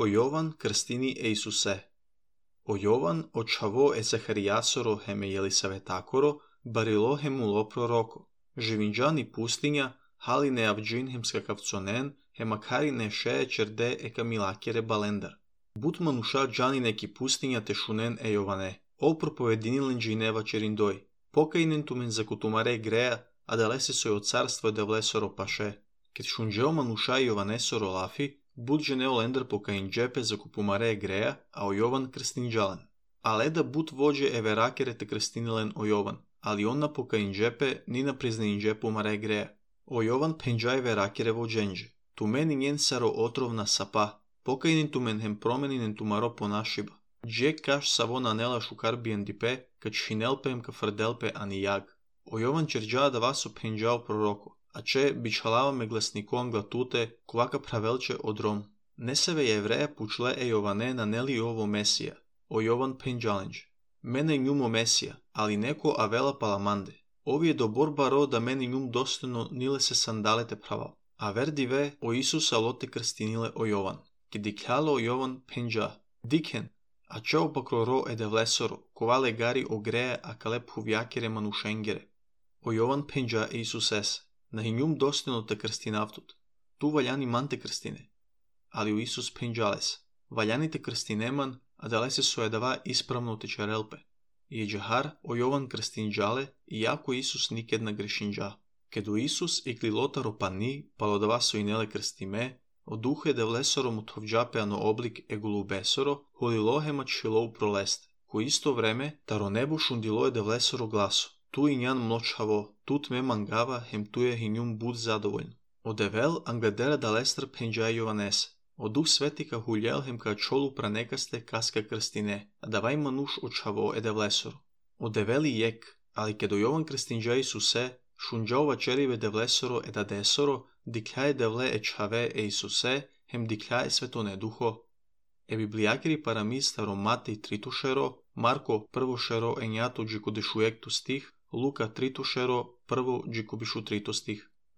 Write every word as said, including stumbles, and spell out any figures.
O Jovan krstini e Isuse. O Jovan očavo e Zahariasoro heme Jelisavetakoro, barilo hemulo proroko. Živinđani pustinja, haline avđin hem skakavconen, hemakarine šeje čerde eka milakere balendar. But manuša džani neki pustinja te šunen e Jovane. O propovedinilen džineva čerindoj. Pokainen tumen zakutumare greja, a dalese soj od carstva da vlesoro paše. Ket šunđeo manuša i Jovanesoro lafi, bud ženeo lender pokain džepe za kupumare greja, a o Jovan krstinđalen. Ale da bud vođe everakere te krstinilen o Jovan, ali on na pokain džepe ni na priznain džepu mare greja. O Jovan penđaj verakere vođenđe. Tu meni njen saro otrovna sapa, pokainin tumen hem promeninen tumaro ponašiba. Džek kaš savo nanela šukarbijen dipe, kad šinelpem ka frdelpe ani jag. O Jovan čerđa da vaso penđao proroko. A če bičhalava me glasnikon glatute, kvaka pravelče odrom. Neseve jevreja pučle e Jovane naneli ovo Mesija, o Jovan penđalenđ. Mene njumo Mesija, ali neko avela palamande. Ovi je do borba ro da meni njum dostojno nile se sandalete praval. A verdi ve o Isusa lote krstinile o Jovan. Ki dikljalo o Jovan penđa. Dikhen, a če opakro ro ede vlesoro, kovale gari o greje a kalep huvjakere manušengere. O Jovan penđa Isuses. Na hinjum dostojno te krstinavtut. Tu valjani man te krstine. Ali u Isus penđales. Valjani te krstineman, a dalese sojedava ispravno te čarelpe. I džahar o Jovan krstinđale, iako Isus niked na grešinđa. Kedu Isus i klilotaro pani, palodava so i nele krstime, o duhe de vlesoro mutovđape ano oblik egulu besoro, holilohema čilou proleste. Ko isto vreme, taro nebo šundiloje de vlesoro glaso. Tu i njan mločavo, tut me mangava, hem tu je hinjum bud zadovoljno. O devel angledera da lestr penđaj Jovanese. O duh svetika huljel hem ka čolu pranekaste kaska krstine, a davaj manuš očavo ede vlesoro. O develi jek, ali kedo Jovan krstinđaj Isuse, šunđaova čerive de vlesoro eda desoro, dikljaje devle e čave e Isuse, hem dikljaje svetone duho. E biblijakiri paramiz staromate i tritušero, Marko prvo šero enjato džiko dešujektu stih, Luka tritušero prvo džiko bišu trito stih.